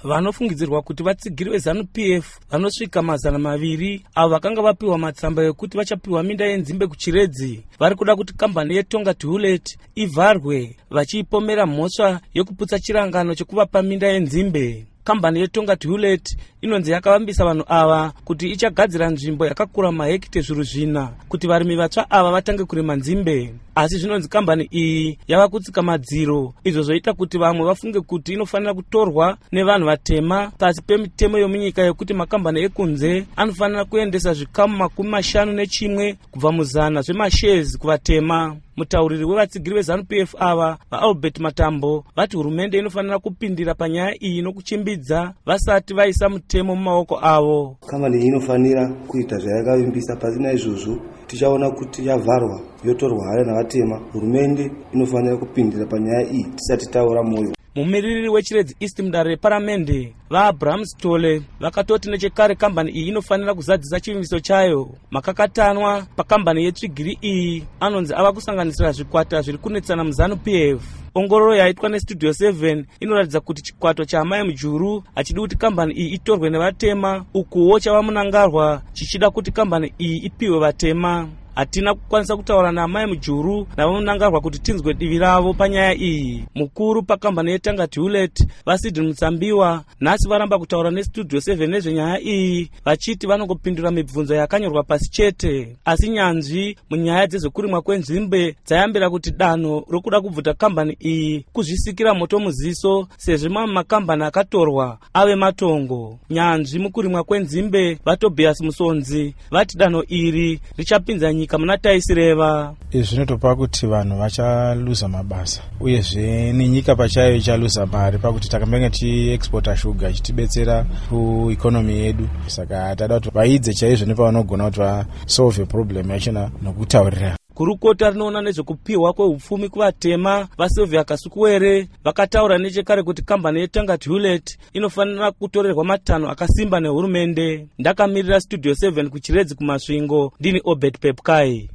Vanofungidzirwa kuti vatsigiri veZanu-PF vanosvika 200, avo vakanga vapiwa matsamba ekuti vachapiwa minda yenzimbe kuChiredzi, vari kuda kuti kambani yeTongaat Hulett ivharwe, vachiipomera mhosva yekuputsa chirangano chekuvapa minda yenzimbe. Kambani yeTongaat Hulett inonzi yakavambisa vanhu ava kuti ichagadzira nzvimbo yakakura mahekite 4,000 kuti varimi vatsva ava vatange kurima nzimbe. Asi zvinonzi kambani iyi yava kutsika madziro, izvo zvoita kuti vamwe vafunge kuti inofanira kutorwa nevanhu vatema pasi pemitemo yomunyika yekuti makambani ekunze anofanira kuendesa zvikamu 51 kubva muzana zvemashares kuvatema. Mutauriri wevatsigiri veZanu-PF ava, VaAlbert Matambo, vati hurumende inofanira kupindira panyaya iyi nokuchimbidza vasati vaisa mutemo mumaoko avo. Kambani iyi inofanira kuita zvayakavimbisa. Pasina izvozvo, tichaona kuti yavharwa, yotorwa hayo navatema. Hurumende inofanira kupindira panyaya iyi tisati taora mwoyo. Mumiriri weChiredzi East mudare reparamende, VaAbraham Stole, vakatoti nechekare kambani iyi inofanira kuzadzisa chivimbiso chayo. Makakatanwa pakambani yetsvigiri iyi anonzi ava kusanganisira zvikwata zviri kunetsana muZanu-PF. Ongororo yaitwa neStudio 7 inoratidza kuti chikwata chaAmai Mujuru hachidi kuti kambani iyi itorwe nevatema, ukuwo chaVaMnangagwa chichida kuti kambani iyi ipiwe vatema. Hatina kukwanisa kutaura naAmai Mujuru naVaMnangagwa kuti tinzwe divi ravo panyaya iyi. Mukuru pakambani yeTongaat Hulett, VaSydney Mutsambiwa, nhasi varamba kutaura neStudio 7 nezvenyaya iyi, vachiti vanongopindura mibvunzo yakanyorwa pasi chete. Asi nyanzvi munyaya dzezvekurimwa kwenzimbe dzayambira kuti danho rokuda kubvuta kambani iyi kuzvisikira moto muziso, sezvo mamwe makambani akatorwa ave matongo. Nyanzvi mukurimwa kwenzimbe, VaTobias Musonzi, vati danho iri richapinza nyika muna taisireva. Izvi zvinotopa kuti vanhu vachaluza mabasa, uyezve nenyika pachayo ichaluza mari, pakuti takambenge tichiexporta shuga ichitibetsera kueconomy yedu. Saka tada kuti vaidze chaizvo nepavanogona kuti vasolve problem yachona nokutaurirana. Gurukota rinoona nezvekupiwa kweupfumi kuvatema, VaSylvia Kasukuwere, vakataura nechekare kuti kambani yeTongaat Hulett inofanira kutorerwa matanho akasimba nehurumende. Ndakamirira Studio 7 kuChiredzi kuMasvingo, ndini Obert Pepkai.